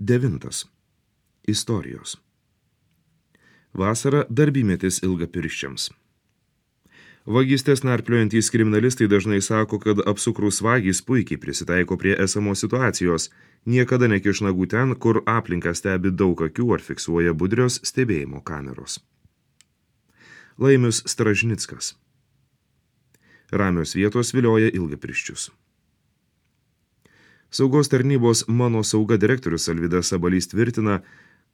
9. Istorijos. Vasara darbymetis ilgapirščiams. Vagystės narpliojantys kriminalistai dažnai sako, kad apsukrūs vagys puikiai prisitaiko prie esamos situacijos, niekada nekiš nagų ten, kur aplinką stebi daug akių ar fiksuoja budrios stebėjimo kameros. Laimius Stražnickas. Ramios vietos vilioja ilgapirščius. Saugos tarnybos Mano sauga direktorius Alvydas Sabalys tvirtina,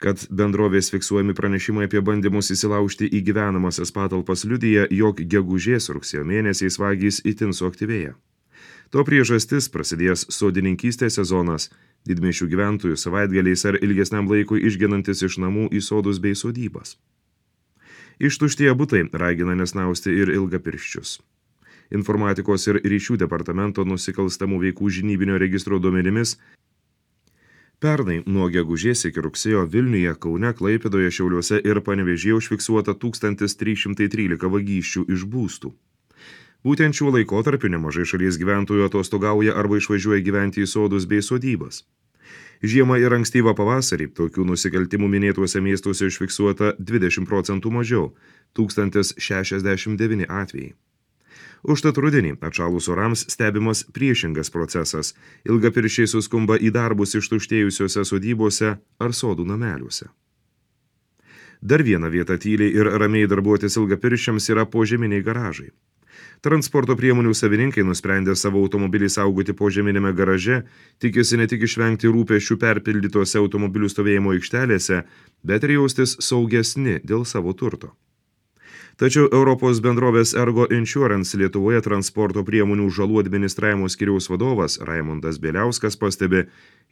kad bendrovės fiksuojami pranešimai apie bandymus įsilaužti į gyvenamasias patalpas liudija, jog gegužės-rugsėjo mėnesiais vagys itin suaktyvėja. To priežastis prasidėjęs sodininkystės sezonas, didmiesčių gyventojų savaitgaliais ar ilgesniam laikui išgenantis iš namų į sodus bei sodybas. Ištuštėję butai ragina nesnausti ir ilgapirščius. Informatikos ir ryšių departamento nusikalstamų veikų žinybinio registro duomenimis pernai nuo gegužės iki rugsėjo Vilniuje, Kaune, Klaipėdoje, Šiauliuose ir Panevėžyje užfiksuota 1313 vagysčių iš būstų. Būtent šiuo laikotarpiu nemažai šalies gyventojų atostogauja arba išvažiuoja gyventi į sodus bei sodybas. Žiemą ir ankstyvą pavasarį tokių nusikaltimų minėtuose miestuose užfiksuota 20% mažiau – 1069 atvejai. Užtat rudenį atšalus orams stebimas priešingas procesas. Ilgapirščiai suskumba į darbus ištuštėjusiuose sodybose ar sodų nameliuose. Dar viena vieta tyliai ir ramiai darbuotis ilgapirščiams yra požeminiai garažai. Transporto priemonių savininkai nusprendė savo automobilį saugoti požeminėme garaže, tikisi ne tik išvengti rūpesčių perpildytose automobilių stovėjimo aikštelėse, bet ir jaustis saugesni dėl savo turto. Tačiau Europos bendrovės Ergo Insurance Lietuvoje transporto priemonių žalų administravimo skyriaus vadovas Raimondas Bieliauskas pastebi,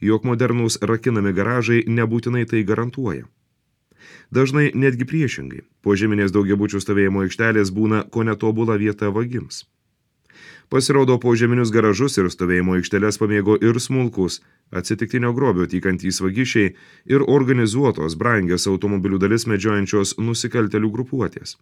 jog modernūs rakinami garažai nebūtinai tai garantuoja. Dažnai netgi priešingai, požeminės daugiabučių stovėjimo aikštelės būna ko netobula vieta vagims. Pasirodo, požeminius garažus ir stovėjimo aikšteles pamėgo ir smulkus, atsitiktinio grobio tykantys vagišiai ir organizuotos brangias automobilių dalis medžiojančios nusikaltelių grupuotės.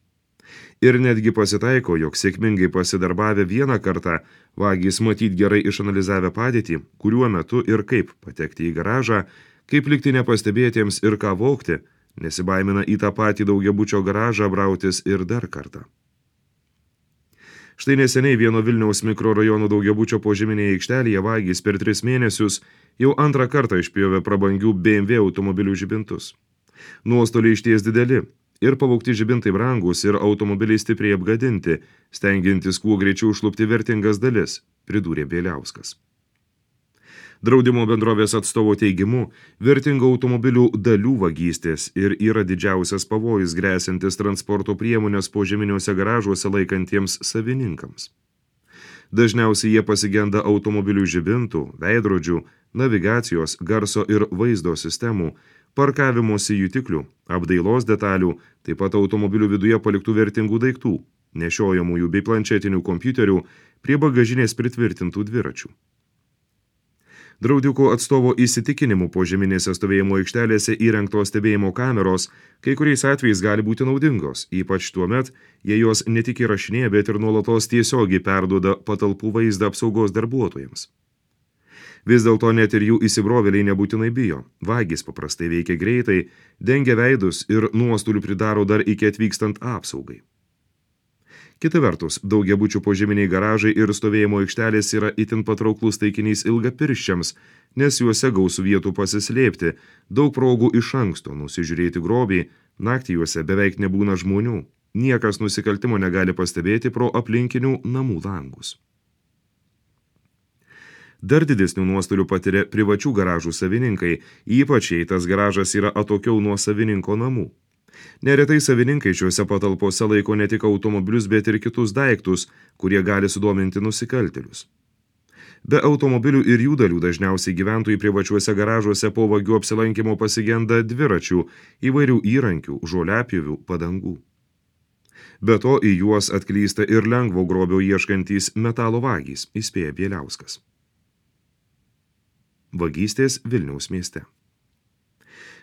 Ir netgi pasitaiko, jog sėkmingai pasidarbavę vieną kartą, vagys matyt gerai išanalizavę padėtį, kuriuo metu ir kaip patekti į garažą, kaip likti nepastebėtiems ir ką vogti, nesibaimina į tą patį daugiabučio garažą brautis ir dar kartą. Štai neseniai vieno Vilniaus mikrorajono daugiabučio požeminėje aikštelėje vagys per 3 mėnesius jau antrą kartą išpjovė prabangių BMW automobilių žibintus. Nuostoliai išties dideli. Ir pavogti žibintai brangus ir automobiliai stipriai apgadinti, stengiantis kuo greičiau užlupti vertingas dalis, pridūrė Bieliauskas. Draudimo bendrovės atstovo teigimu, vertingų automobilių dalių vagystės ir yra didžiausias pavojus gresiantis transporto priemonės požeminiuose garažuose laikantiems savininkams. Dažniausiai jie pasigenda automobilių žibintų, veidrodžių, navigacijos, garso ir vaizdo sistemų, parkavimosi jutiklių, apdailos detalių, taip pat automobilių viduje paliktų vertingų daiktų, nešiojamųjų bei planšetinių kompiuterių, prie bagažinės pritvirtintų dviračių. Draudikų atstovo įsitikinimu požeminėse stovėjimo aikštelėse įrengtos stebėjimo kameros kai kuriais atvejais gali būti naudingos, ypač tuomet, jei jos ne tik įrašinėja, bet ir nuolatos tiesiogiai perduoda patalpų vaizdą apsaugos darbuotojams. Vis dėlto net ir jų įsibrovėliai nebūtinai bijo. Vagys paprastai veikia greitai, dengia veidus ir nuostolių pridaro dar iki atvykstant apsaugai. Kita vertus, daugiabučių požeminiai garažai ir stovėjimo aikštelės yra itin patrauklus taikinys ilgapirščiams, nes juose gausų vietų pasislėpti, daug progų iš anksto nusižiūrėti grobį, naktį juose beveik nebūna žmonių, niekas nusikaltimo negali pastebėti pro aplinkinių namų langus. Dar didesnių nuostolių patiria privačių garažų savininkai, ypač jei tas garažas yra atokiau nuo savininko namų. Neretai savininkai šiuose patalpose laiko ne tik automobilius, bet ir kitus daiktus, kurie gali sudominti nusikaltėlius. Be automobilių ir jų dalių dažniausiai gyventojai privačiuose garažuose po vagių apsilankimo pasigenda dviračių, įvairių įrankių, žoliapjovių, padangų. Be to į juos atklysta ir lengvo grobio ieškantys metalo vagys, įspėja Bieliauskas. Vagystės Vilniaus mieste.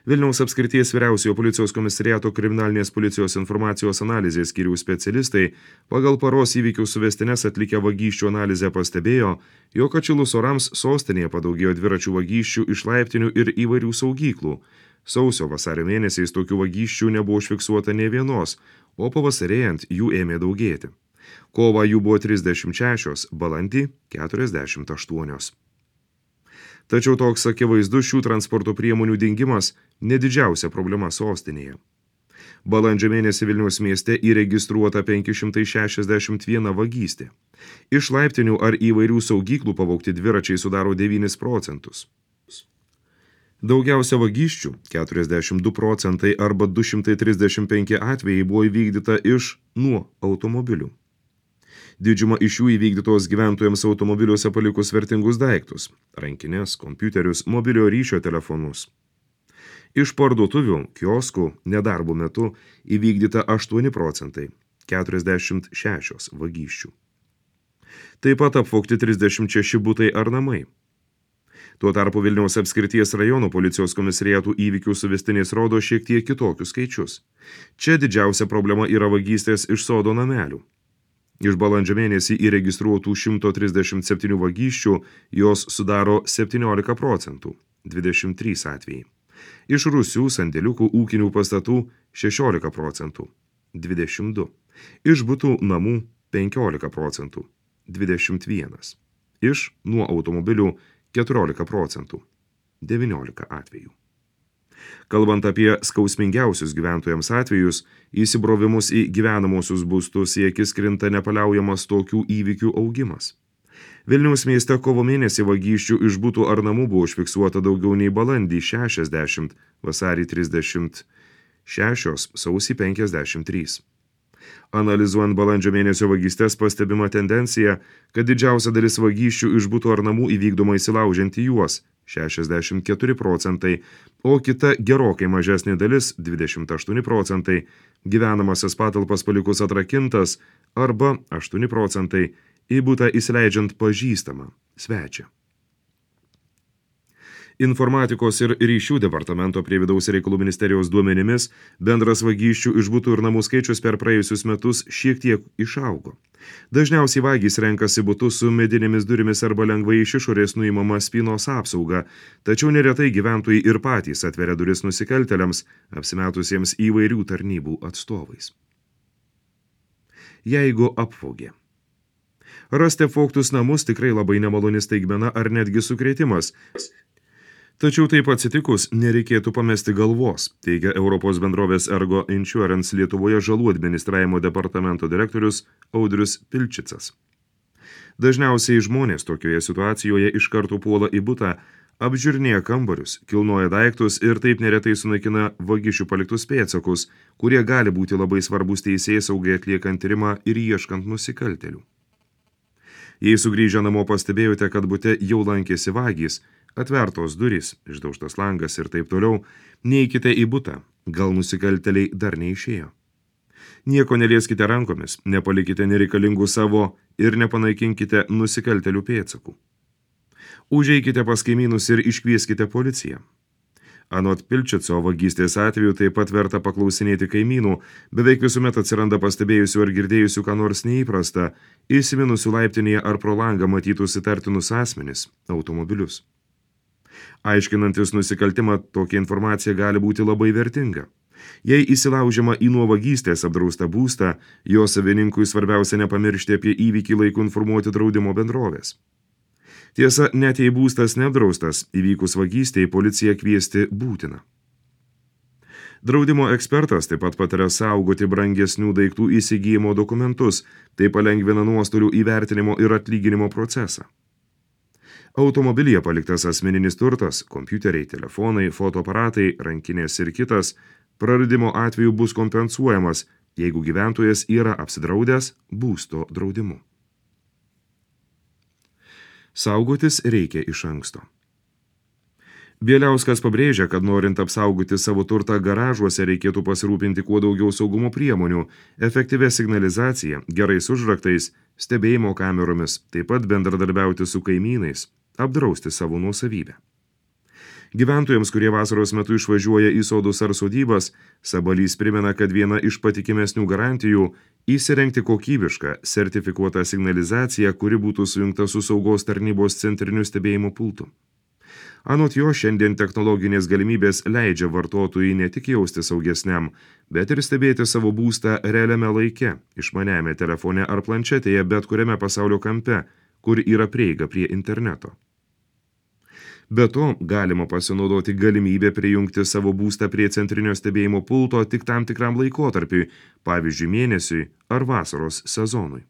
Vilniaus apskrities vyriausiojo policijos komisariato kriminalinės policijos informacijos analizės skyriaus specialistai pagal paros įvykių suvestines atlikę vagysčių analizę pastebėjo, jog atšilus orams sostinėje padaugėjo dviračių vagysčių iš laiptinių ir įvairių saugyklų. Sausio-vasario mėnesiais tokių vagysčių nebuvo užfiksuota nė vienos, o pavasarėjant jų ėmė daugėti. Kovą jų buvo 36, balandį 48. Tačiau toks akivaizdus šių transporto priemonių dingimas nedidžiausia problema sostinėje. Balandžio mėnesį Vilniaus mieste įregistruota 561 vagystė. Iš laiptinių ar įvairių saugyklų pavogti dviračiai sudaro 9%. Daugiausia vagysčių, 42% arba 235 atvejai buvo įvykdyta iš nuo automobilių. Didžiuma iš jų įvykdytos gyventojams automobiliuose palikus vertingus daiktus – rankinės, kompiuterius, mobiliojo ryšio telefonus. Iš parduotuvių, kioskų, nedarbo metu įvykdyta 8%, 46 vagysčių. Taip pat apvogti 36 butai ar namai. Tuo tarpu Vilniaus apskrities rajono policijos komisariatų įvykių suvestinės rodo šiek tiek kitokius skaičius. Čia didžiausia problema yra vagystės iš sodo namelių. Iš balandžio mėnesį įregistruotų 137 vagysčių jos sudaro 17%, 23 atvejai. Iš rūsių, sandėliukų, ūkinių pastatų 16%, 22. Iš butų namų 15%, 21. Iš nuo automobilių 14%, 19 atvejų. Kalbant apie skausmingiausius gyventojams atvejus, įsibrovimus į gyvenamosius būstus į akis krinta nepaliaujamas tokių įvykių augimas. Vilniaus mieste kovo mėnesį vagysčių iš butų ar namų buvo užfiksuota daugiau nei balandį 60, vasarį 36, sausį 53. Analizuojant balandžio mėnesio vagystes pastebima tendencija, kad didžiausia dalis vagysčių iš butų ar namų įvykdoma įsilaužiant į juos – 64%, o kita gerokai mažesnė dalis – 28%, gyvenamasias patalpas palikus atrakintas arba 8% į butą įsileidžiant pažįstamą svečią. Informatikos ir ryšių departamento prie Vidaus reikalų ministerijos duomenimis bendras vagysčių iš butų ir namų skaičius per praėjusius metus šiek tiek išaugo. Dažniausiai vagys renkasi butus su medinėmis durimis arba lengvai iš išorės nuimama spynos apsauga, tačiau neretai gyventojai ir patys atveria duris nusikaltėliams, apsimetusiems įvairių tarnybų atstovais. Jeigu apvogė. Rasti apvogtus namus tikrai labai nemaloni staigmena ar netgi sukrėtimas. Tačiau taip atsitikus nereikėtų pamesti galvos, teigia Europos bendrovės Ergo Insurance Lietuvoje žalų administravimo departamento direktorius Audrius Pilčicas. Dažniausiai žmonės tokioje situacijoje iš karto puola į butą, apžiūrinėja kambarius, kilnoja daiktus ir taip neretai sunaikina vagišių paliktus pėdsakus, kurie gali būti labai svarbus teisėsaugai atliekant tyrimą ir ieškant nusikaltėlių. Jei sugrįžę namo pastebėjote, kad bute jau lankėsi vagys, atvertos durys, išdaužtas langas ir taip toliau, neikite į butą, gal nusikaltėliai dar neišėjo. Nieko nelieskite rankomis, nepalikite nereikalingų savo ir nepanaikinkite nusikaltėlių pėdsakų. Užeikite pas kaimynus ir iškvieskite policiją. Anot Pilčico vagystės atveju taip pat verta paklausinėti kaimynų, beveik visuomet atsiranda pastebėjusių ar girdėjusių ką nors neįprasta, įsiminusių laiptinėje ar pro langą matytus įtartinus asmenis, automobilius. Aiškinantis nusikaltimą, tokia informacija gali būti labai vertinga. Jei įsilaužiama į nuo vagystės apdraustą būstą, jo savininkui svarbiausia nepamiršti apie įvykį laiku informuoti draudimo bendrovės. Tiesa, net jei būstas neapdraustas, įvykus vagystei policiją kviesti būtina. Draudimo ekspertas taip pat pataria saugoti brangesnių daiktų įsigijimo dokumentus, tai palengvina nuostolių įvertinimo ir atlyginimo procesą. Automobilyje paliktas asmeninis turtas, kompiuteriai, telefonai, fotoaparatai, rankinės ir kitas, praradimo atveju bus kompensuojamas, jeigu gyventojas yra apsidraudęs būsto draudimu. Saugotis reikia iš anksto. Bieliauskas pabrėžia, kad norint apsaugoti savo turtą garažuose reikėtų pasirūpinti kuo daugiau saugumo priemonių, efektyvia signalizacija, gerais užraktais, stebėjimo kameromis, taip pat bendradarbiauti su kaimynais, apdrausti savo nuosavybę. Gyventojams, kurie vasaros metu išvažiuoja į sodus ar sodybas, Sabalys primena, kad viena iš patikimesnių garantijų – įsirengti kokybišką, sertifikuotą signalizaciją, kuri būtų sujungta su saugos tarnybos centriniu stebėjimo pultu. Anot jo, šiandien technologinės galimybės leidžia vartotojui ne tik jausti saugesniam, bet ir stebėti savo būstą realiame laike, išmaniame telefone ar planšetėje bet kuriame pasaulio kampe, kur yra prieiga prie interneto. Be to, galima pasinaudoti galimybę prijungti savo būstą prie centrinio stebėjimo pulto tik tam tikram laikotarpiui, pavyzdžiui mėnesiui ar vasaros sezonui.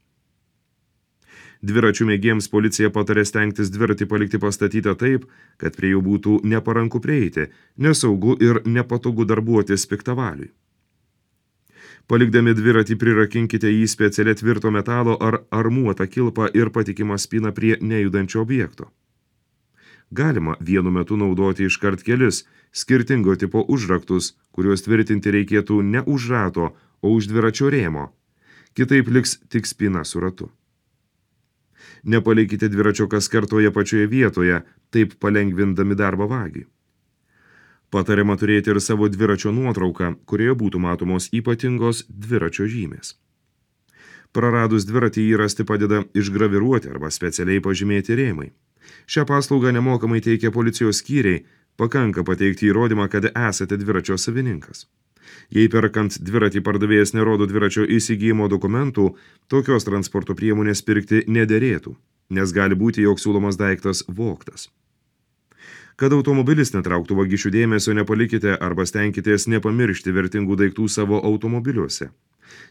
Dviračių mėgėjams policija patarė stengtis dviratį palikti pastatytą taip, kad prie jų būtų neparanku prieiti, nesaugu ir nepatogu darbuotis piktavaliui. Palikdami dviratį prirakinkite jį specialia tvirto metalo ar armuotą kilpą ir patikimą spyną prie nejudančio objekto. Galima vienu metu naudoti iškart kelis skirtingo tipo užraktus, kuriuos tvirtinti reikėtų ne už rato, o už dviračio rėmo. Kitaip liks tik spyna su ratu. Nepalikite dviračio kaskart toje pačioje vietoje, taip palengvindami darbą vagiui. Patariama turėti ir savo dviračio nuotrauką, kurioje būtų matomos ypatingos dviračio žymės. Praradus dviratį jį rasti padeda išgraviruoti arba specialiai pažymėti rėmai. Šią paslaugą nemokamai teikia policijos skyriai, pakanka pateikti įrodymą, kad esate dviračio savininkas. Jei perkant dviratį pardavėjas nerodo dviračio įsigijimo dokumentų, tokios transporto priemonės pirkti nederėtų, nes gali būti, jog siūlomas daiktas vogtas. Kad automobilis netrauktų vagišių dėmesio, nepalikite arba stenkitės nepamiršti vertingų daiktų savo automobiliuose.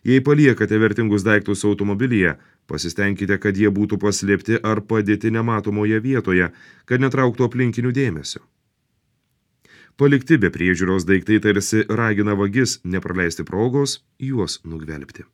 Jei paliekate vertingus daiktus automobilyje, pasistengkite, kad jie būtų paslėpti ar padėti nematomoje vietoje, kad netrauktų aplinkinių dėmesio. Palikti be priežiūros daiktai tarsi ragina vagis nepraleisti progos juos nugvelbti.